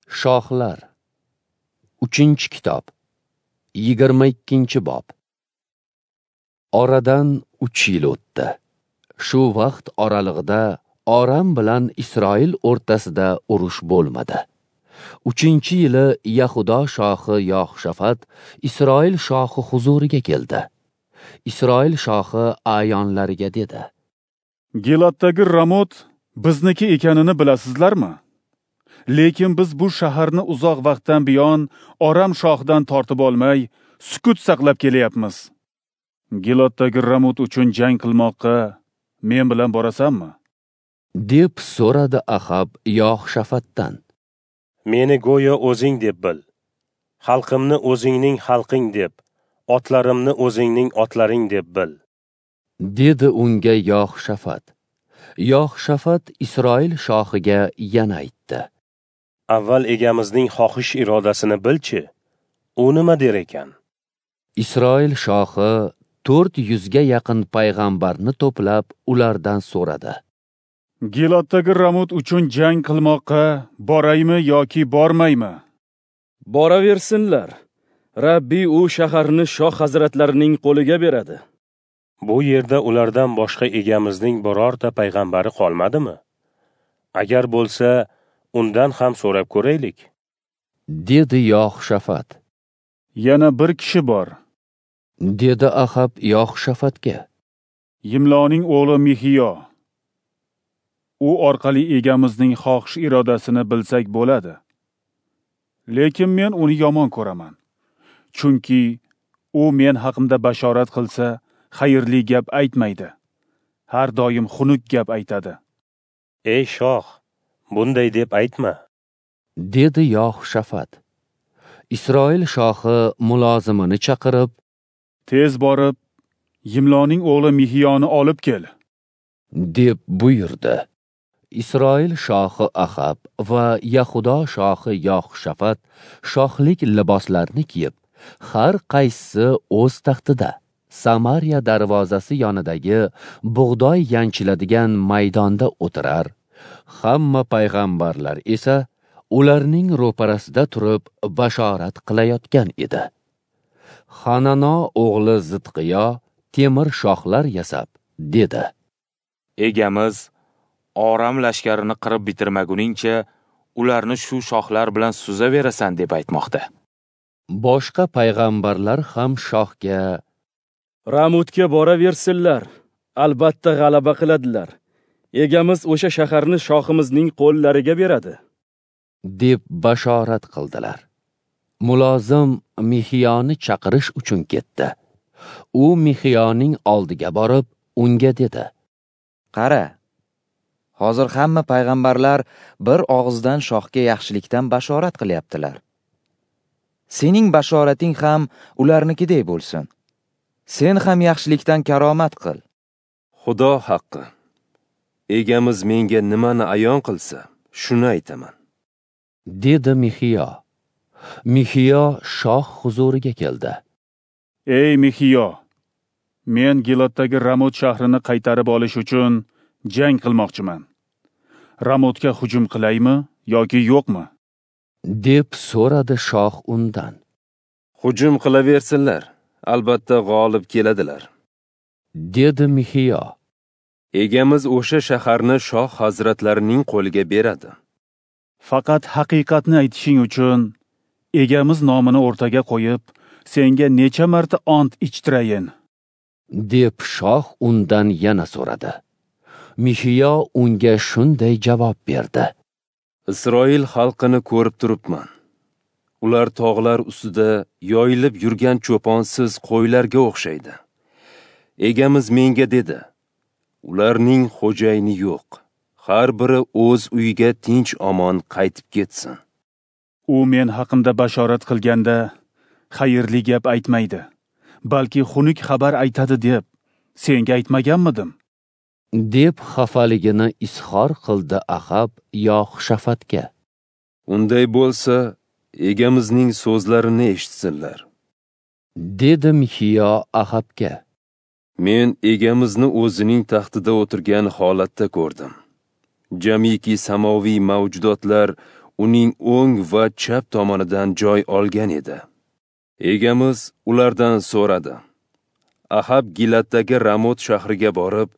Shohlar 3-kitob 22-bob. Oradan 3 yil o'tdi. Shu vaqt oralig'ida Oram bilan Isroil o'rtasida urush bo'lmadi. 3-yili Yahudo shohi Yoxshafat Isroil shohi huzuriga keldi. Isroil shohi a'yonlariga dedi: Gilatdagi Ramot bizniki ekanini bilasizlarmi? Lekin biz bu shaharni uzoq vaqtdan buyon Oram shohidan tortib olmay, sukut saqlab kelyapmiz. Gilatdagi Ramot uchun jang qilmoqqa men bilan borasanmi? Deb so'radi Ahab Yoxshafatdan. Meni go'yo o'zing deb bil. Xalqimni o'zingning xalqing deb, otlarimni o'zingning otlaring deb bil, dedi unga Yoxshafat. Yoxshafat Isroil shohiga yana aytdi: Avval egamizning xohish irodasini bilchi, u nima der ekan? Isroil shohi 400 ga yaqin payg'ambarni to'plab, ulardan so'radi: Gilatdagi Ramot uchun jang qilmoqqa boraymi yoki bormaymi? Boraversinlar. Rabbi u shaharni shoh hazratlarining qo'liga beradi. Bu yerda ulardan boshqa egamizning birorta payg'ambari qolmadimi? Agar bo'lsa, undan ham so'rab ko'raylik, dedi Yoxshafat. Yana bir kishi bor, dedi Ahab Yoxshafatga. Yimloning o'g'li Mixiyo. U orqali egamizning xohish irodasini bilsak bo'ladi. Lekin men uni yomon ko'raman. Chunki u men haqimda bashorat qilsa, xayrli gap aytmaydi. Har doim xunuk gap aytadi. Ey shoh, bunday deb aytma, dedi Yoxshafat. Isroil shohi mulozimini chaqirib, tez borib, Yimloning o'g'li Mixiyoni olib kel, deb buyurdi. Isroil shohi Ahab va Yahudo shohi Yoxshafat shohlik liboslarini kiyib, har qaysisi o'z taxtida Samariya darvozasi yonidagi bug'doy yanchiladigan maydonda o'tirar. Hamma payg'ambarlar esa ularning ro'parasida turib bashorat qilayotgan edi. Hanano o'g'li Zidqiyo temir shohlar yasab dedi: Egamiz Oram lashkarini qirib bitirmaguningcha ularni shu shohlar bilan suzaverasan deb aytmoqda. Boshqa payg'ambarlar ham shohga: Ramotga boraversinlar, albatta g'alaba qiladilar. Egamiz o'sha shaharni shohimizning qo'llariga beradi, deb bashorat qildilar. Mulozim Mixiyoni chaqirish uchun ketdi. U Mixiyoning oldiga borib, unga dedi: Qara, hozir hamma payg'ambarlar bir og'izdan shohga yaxshilikdan bashorat qilyaptilar. Sening bashorating ham ularnikidek bo'lsin. Sen ham yaxshilikdan karomat qil. Xudo haqqi, egamiz menga nimani ayon qilsa, shuni aytaman, dedi Mixiyo. Mixiyo shoh huzuriga keldi. Ey Mixiyo, men Gilatdagi Ramot shahrini qaytarib olish uchun jang qilmoqchiman. Ramotga hujum qilaymi yoki yo'qmi? Deb so'radi shoh undan. Hujum qilaversinlar, albatta g'olib keladilar, dedi Mixiyo. Egamiz o'sha shaharni shoh hazratlarining qo'liga beradi. Faqat haqiqatni aytishing uchun egamiz nomini o'rtaga qo'yib, senga necha marta ont ichtirayin, deb shoh undan yana so'radi. Mixiyo unga shunday javob berdi: Isroil xalqini ko'rib turibman. Ular tog'lar ustida yoyilib yurgan cho'ponsiz qo'ylarga o'xshaydi. Egamiz menga dedi: ularning xo'jayini yo'q. Har biri o'z uyiga tinch omon qaytib ketsin. U men haqimda bashorat qilganda xayrli gap aytmaydi, balki xunuk xabar aytadi deb senga aytmaganmidim? Deb xafaligini izhor qildi Ahab Yoxshafatga. Unday bo'lsa, egamizning so'zlarini eshitsinlar, dedi Mixiyo Ahabga. Men egamizni o'zining taxtida o'tirgan holatda ko'rdim. Jamiki samoviy mavjudotlar uning o'ng va chap tomonidan joy olgan edi. Egamiz ulardan so'radi: Ahab Gilatdagi Ramot shahriga borib,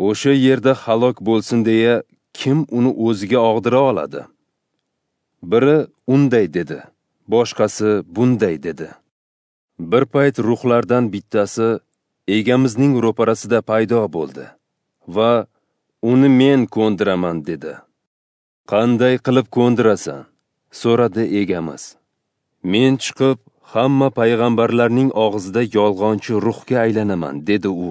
o'sha yerda halok bo'lsin deya kim uni o'ziga og'dira oladi? Biri unday dedi, boshqasi bunday dedi. Bir payt ruhlardan bittasi Egamizning ro'parasida paydo bo'ldi va uni men ko'ndiraman dedi. Qanday qilib ko'ndirasan? So'radi Egamiz. Men chiqib hamma payg'ambarlarning og'zida yolg'onchi ruhga aylanaman, dedi u.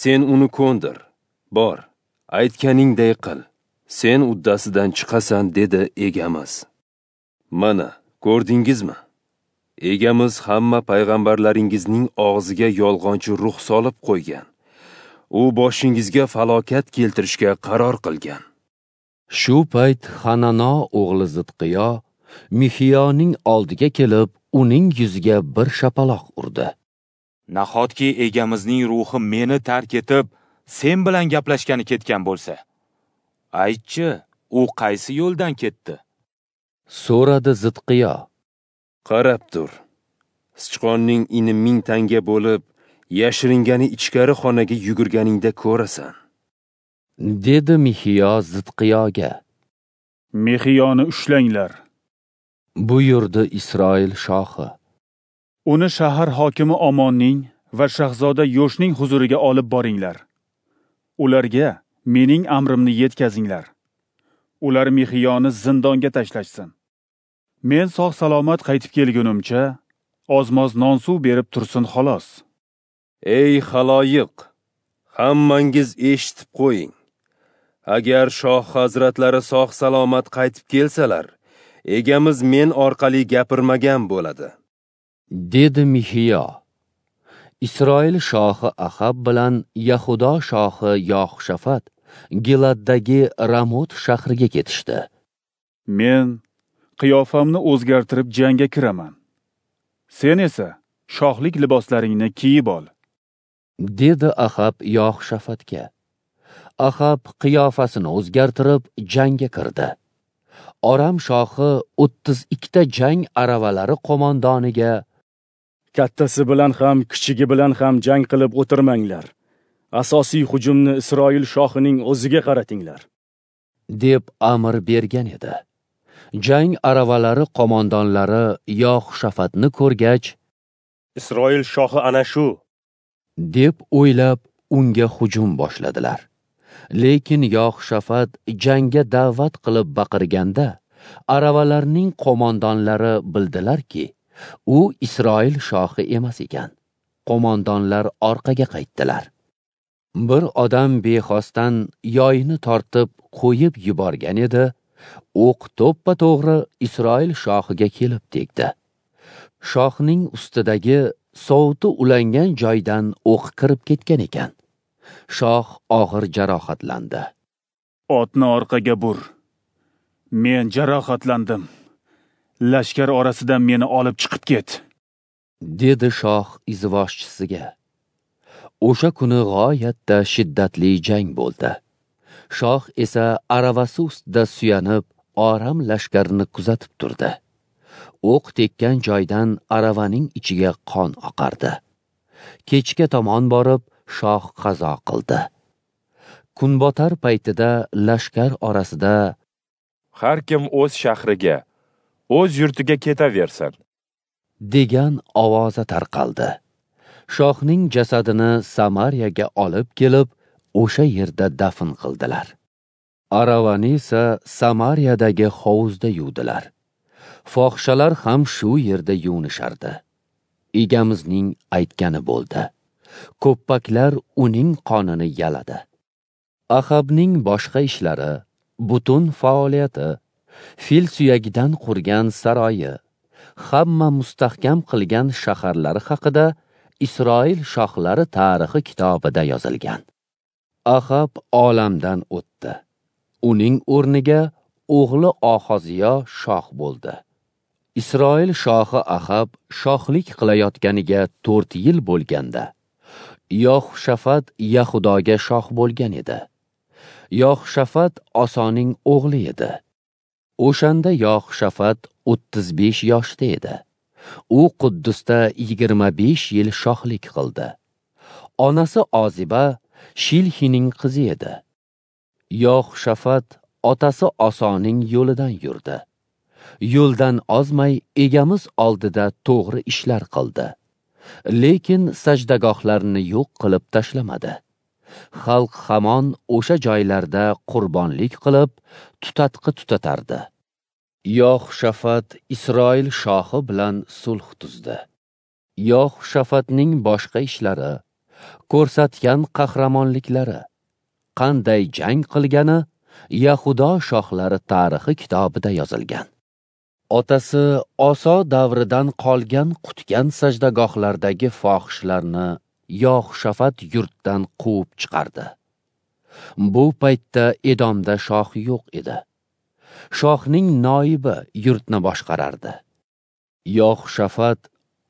Sen uni ko'ndir. Bor, aytganingday qil. Sen uddasidan chiqasan, dedi Egamiz. Mana, ko'rdingizmi? Egamiz hamma payg'ambarlaringizning og'ziga yolg'onchi ruh solib qo'ygan. U boshingizga falokat keltirishga qaror qilgan. Shu payt Hanano o'g'li Zidqiyo Mixiyoning oldiga kelib, uning yuziga bir shapaloq urdi. Nahotki Egamizning ruhi meni tark etib, sen bilan gaplashgani ketgan bo'lsa? Aytchi, u qaysi yo'ldan ketdi? So'radi Zidqiyo. Qarab tur. Sichqonning ini 1000 tanga bo'lib, yashiringani ichkari xonaga yugurganingda ko'rasan, dedi Mixiyo Zidqiyoga. Mixiyoni ushlanglar, buyurdi Isroil shohi. Uni shahar hokimi Omonning va shahzoda Yoshning huzuriga olib boringlar. Ularga mening amrimni yetkazinglar. Ular Mixiyoni zindonga tashlashsin. Men sog' salomat qaytib kelgunimcha ozmoz non suv berib tursin xolos. Ey xaloyiq, hammangiz eshitib qo'ying. Agar shoh hazratlari sog' salomat qaytib kelsalar, Egamiz men orqali gapirmagan bo'ladi, dedi Mixiyo. Isroil shohi Ahab bilan Yahudo shohi Yoxshafat Giladdagi Ramot shahriga ketishdi. Men qiyofamni o'zgartirib jangga kiraman. Sen esa shohlik liboslaringni kiyib ol, dedi Ahab Yoxshafatga. Ahab qiyofasini o'zgartirib jangga kirdi. Oram shohi 32 ta jang aravalari qo'mondoniga: Kattasi bilan ham, kichigi bilan ham jang qilib o'tirmanglar. Asosiy hujumni Isroil shohining o'ziga qaratinglar, deb amr bergan edi. Jang aravalari qo'mondonlari Yoxshafatni ko'rgach, Isroil shohi ana shu, deb o'ylab unga hujum boshladilar. Lekin Yoxshafat jangga da'vat qilib baqirganda, aravalarning qo'mondonlari bildilarki, u Isroil shohi emas ekan. Qo'mondonlar orqaga qaytdilar. Bir odam bexosdan yoyini tortib qo'yib yuborgan edi, o'q to'ppa-to'g'ri Isroil shohiga kelib tegdi. Shohning ustidagi sovuti ulangan joydan o'q kirib ketgan ekan. Shoh og'ir jarohatlandi. Otni orqaga bur. Men jarohatlandim. Lashkar orasidan meni olib chiqib ket, dedi shoh izvoshchisiga. O'sha kuni g'oyatda shiddatli jang bo'ldi. Shoh esa aravasi ustida suyanib, Oram lashkarini kuzatib turdi. O'q tekkan joydan aravaning ichiga qon oqardi. Kechga tomon borib, shoh qazo qildi. Kunbotar paytida lashkar orasida har kim o'z shahriga, o'z yurtiga ketaversin, degan ovoza tarqaldi. Shohning jasadini Samariyaga olib kelib, o'sha yerda dafn qildilar. Aravani esa Samariyadagi hovuzda yuvdilar. Fohishalar ham shu yerda yuvinishardi. Egamizning aytgani bo'ldi. Ko'ppaklar uning qonini yaladi. Ahabning boshqa ishlari, butun faoliyati, fil suyagidan qurgan saroyi, hamma mustahkam qilgan shaharlari haqida Isroil shohlari tarixi kitobida yozilgan. Ahab olamdan o'tdi. Uning o'rniga o'g'li Ohoziyo shoh bo'ldi. Isroil shohi Ahab shohlik qilayotganiga 4 yil bo'lganda, Yoxshafat Yahudoga shoh bo'lgan edi. Yoxshafat Osoning o'g'li edi. O'shanda Yoxshafat 35 yoshda edi. U Quddusda 25 yil shohlik qildi. Onasi Oziba Shilhining qizi edi. Yoxshafat otasi Osoning yo'lidan yurdi. Yo'ldan ozmay egamiz oldida to'g'ri ishlar qildi. Lekin sajdagohlarni yo'q qilib tashlamadi. Xalq hamon o'sha joylarda qurbonlik qilib, tutatqi tutatardi. Yoxshafat Isroil shohi bilan sulh tuzdi. Yoxshafatning boshqa ishlari, ko'rsatgan qahramonliklari, qanday jang qilgani Yahudo shohlari tarixi kitobida yozilgan. Otasi Oso davridan qolgan qutgan sajdagohlardagi fohishlarni Yoxshafat yurtdan quvib chiqardi. Bu paytda Edomda shoh yo'q edi. Shohning noibi yurtni boshqarardi. Yoxshafat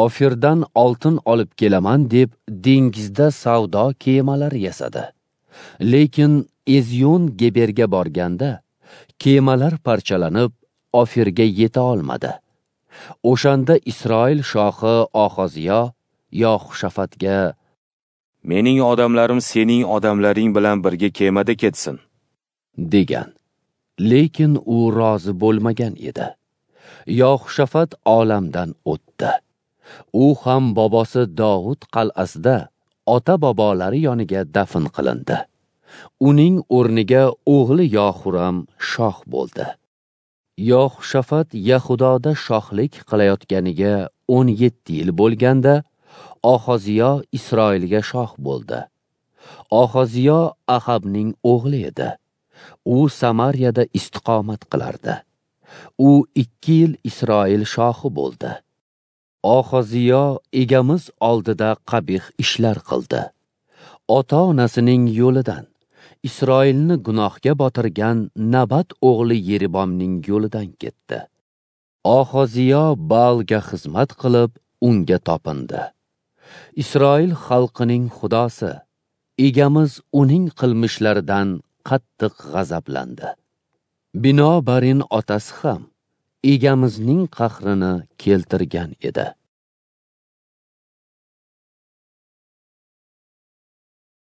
Ofirdan oltin olib kelaman deb dengizda savdo kemalari yasadi. Lekin Ezion Geberga borganda kemalar parchalanib Ofirga yeta olmadi. O'shanda Isroil shohi Oxoziyo Yoxshafatga: "Mening odamlarim sening odamlaring bilan birga kemada ketsin" degan. Lekin u rozi bo'lmagan edi. Yoxshafat olamdan o'tdi. U ham bobosi Dovud qal'asida ota-bobolari yoniga dafn qilindi. Uning o'rniga o'g'li Yohuram shoh bo'ldi. Yoxshafat Yahudoda shohlik qilayotganiga 17 yil bo'lganda Oxoziyo Isroilga shoh bo'ldi. Oxoziyo Ahabning o'g'li edi. U Samariyada istiqomat qilardi. U 2 yil Isroil shohi bo'ldi. Oxoziyo egamiz oldida qabih ishlar qildi. Ota-onasining yo'lidan, Isroilni gunohga botirgan Nabat o'g'li Yeribomning yo'lidan ketdi. Oxoziyo Baalga xizmat qilib, unga topindi. Isroil xalqining xudosi egamiz uning qilmishlaridan qattiq g'azablandi. Binobarin otasi ham egamizning qahrini keltirgan edi.